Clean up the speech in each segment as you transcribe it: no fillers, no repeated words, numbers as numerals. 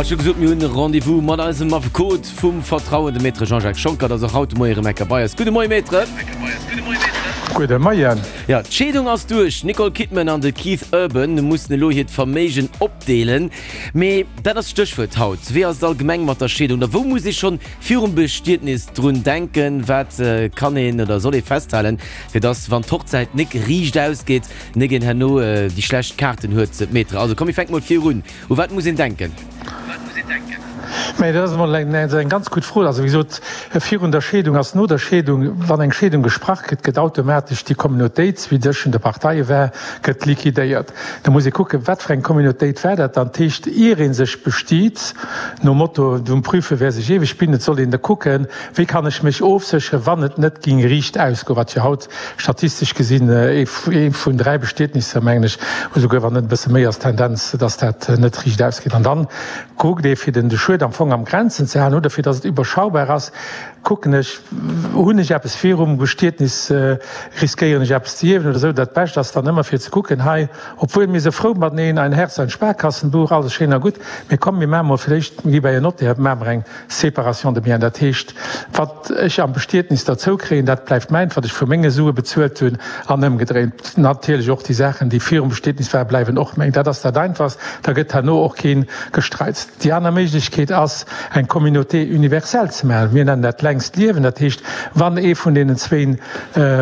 Hat scho gesot, mir hunn e Rendez-vous mat eisem Affekot vum Vertrauen, dem Maître Jean-Jacques Schonckert, ass och haut de Moie rëm enker bei eis. Gudde Moie, Maître. Gudde Moien. Jo, d'Scheedung ass duerch. D'Nicole Kidman an de Keith Urban mussen elo hiert Verméigen opdeelen. Mee dat ass d'Stéchwuert haut. Wéi ass et allgemeng mat der Scheedung? Oder wou muss ee schonn virum Bestietnis drun denken? Wat kann een oder soll ee festhalen, fir dass, wann d'Hochzäit nik riicht ausgeet, nik een herno déi schlecht Kaarten huet? Maître, also komm mir fänke mol virun. U wat muss een denken? Mä dat ass emol eng ganz gutt Fro. Also wéi gesot, virun der Scheedung ass no der Scheedung, wann eng Scheedung gesprach gëtt, gëtt automatesch déi Communautéit, wéi tëschent de Parteie war, gëtt liquidéiert. Da muss ee kucken, wat fir eng Communautéit war dat dann. Dat heescht, ier ee sech bestiet, nom Motto, Dumm prüfe wer sich ewig bindet, soll een da kucken, wéi kann ech mech ofsécheren, wann et net géing riicht ausgoen, wat jo haut Statistesch gesinn ee vun 3 Bestietnisser, mengen ech, esouguer wann net e bësse méi, ass d'Tendenz, dass dat net riicht ausgeet. An dann kuckt ee fir den de Schued am Fong am Grenzen ze halen oder fir dass et iwwerschaubar ass, kucken ech, hunn ech eppes virum Bestietnis, riskéieren ech eppes ze ierwen oder esou. Dat Bescht ass dann ëmmer fir ze kucken, hei, obwuel mir se frou mateneen, ein Herz, ein Sparkassenbuch, alles schéin a gutt, mee komm mir maache mol villéicht, mir gi bei en Notaire, maache mer eng Séparation de biens, dat heescht, wat ech am Bestietnis derzou kréien, dat bleift mäint, wat ech vu menge Sue bezuelt hunn, an ëmgedréint natierlech och déi Saachen, déi virum Bestietnis waren, bleiwen och meng. Dat ass dat Einfachst, da gëtt herno och kee Gestreits. Déi aner Méiglechkeet ass, eng Communauté universelle ze maachen. Mir nennen dat längst Liewen. Dat heescht, wann ee vun deenen zwéin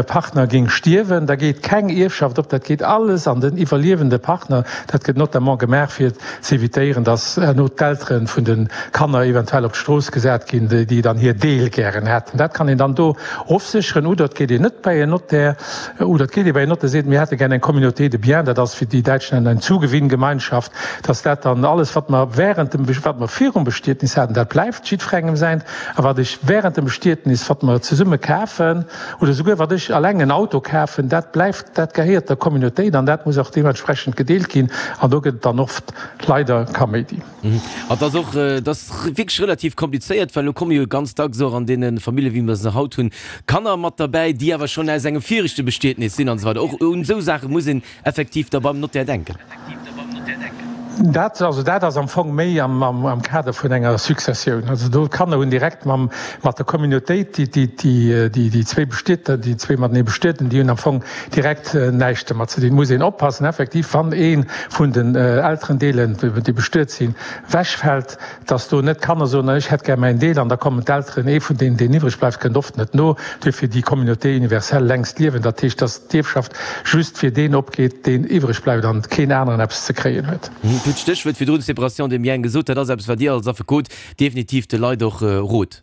Partner géing stierwen, da geet keng Ierfschaft op, dat geet alles an den iwwerliewende Partner. Dat gëtt notamment gemaach, fir ze evitéieren, dass herno d'Eltere vun de Kanner eventuell op d'Strooss gesat ginn, déi dann hir Deel gären hätten. Dat kann een dann do ofsécheren. Oder et geet een net bei en Notaire, oder et geet ee bei en Notaire, seet, mir hätte gär eng Communauté de biens, dat ass, wéi déi Däitsch nennen, eng Zugewinngemeinschaft, dass dat dann alles, wat mer während dem, wat mer virum Bestietnis haten, dat bleift jiddwerengem säint, a wat ech während dem Bestietnis, wat mer zesumme kafen, Oder souguer wat ech alleng en Auto kafen, dat bleift, dat gehéiert der Communautéit an dat muss och deementsprechend gedeelt ginn. An do gëtt et dann oft leider Kaméidi. An et ass och, et ass wierklech relativ komplizéiert, well elo komme jo ganz dacks och an deene Famillje wéi mer se haut hunn, Kanner mat derbäi, déi awer schonn aus engem viregte Bestietnis sinn an esou weider. Och un esou Saache muss een effektiv da beim Notaire denken. Dat, also dat ass am Fong méi am Kader vun enger Successioun. Also do, d'Kanner hunn direkt mam, mat der Communautéit, déi, déi, déi, déi zwéi Bestietner, déi zwéi matenee Bestueten, déi hunn am Fong direkt näischt domat ze dinn. Et muss een oppassen effektiv, wann ee vun den Elterendeelen, déi bestuet sinn, wechfält, dass do net d'Kanner soen, ech hätt gär mäin Deel, an da kommen d'Elteren, ee vun deenen, deen iwwreg bleift, kënnt oft net no. Duerfir déi Communauté universelle längst liewen, dat heescht, dass d'Ierfschaft just fir deen opgeet, deen iwwreg bleift an keen aneren eppes ze kréien huet. Dir hutt d'Stéchwuert virdrun, Séparation des biens, gesot. Dat ass eppes, wat Dir als Affekot definitiv de Leit och rot.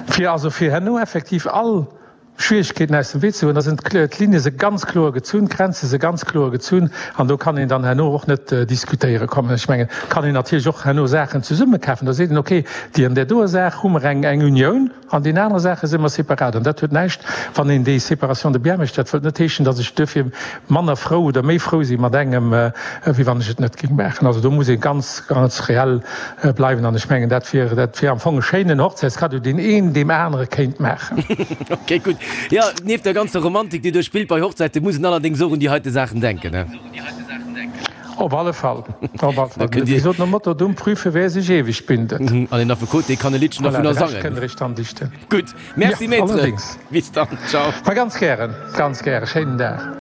Fir also fir herno effektiv all Schwierigkeeten aus dem Wee ze goen, da sinn d'Ligne se ganz kloer gezunn, d'Grenze se ganz kloer gezunn an do kann een dann herno och net diskutéiere kommen. Ech mengen, et kann een natierlech och herno Saachen zesumme kafen. Da seet een, okay, déi an där doer Saach hu mer eng eng Unioun, an deenen anere Saache si mer separat. An dat huet näischt, wann een déi Séparation de biens mécht, dat wëllt net heeschen, datt ech duerfir manner frou oder méi frou si mat engem, wéi wann ech et net géing maachen. Also do muss ee ganz, ganz reell bleiwen an ech mengen dat wier dat wier am Fong e schéinen Hochzäitskaddo deen een deem anere kéint maachen. Ok gutt. Jo, nieft der ganzer Romantik déi do spillt bei Hochzäiten, muss een allerdéngs och un déi heite Saachen denken, ne? Op alle Fall, op alle Fall. Wéi gesot, nom Motto Dumm prüfe wer sich ewig bindet. An een Affekot dee kann e Liddchen Voilà, dervunner de Rescht sangen. kënnt der iech dann dichten. Gutt, merci Jo, Maître. allerdéngs. Bis dann, ciao. Ma ganz gären, ganz gären. Schéinen Dag.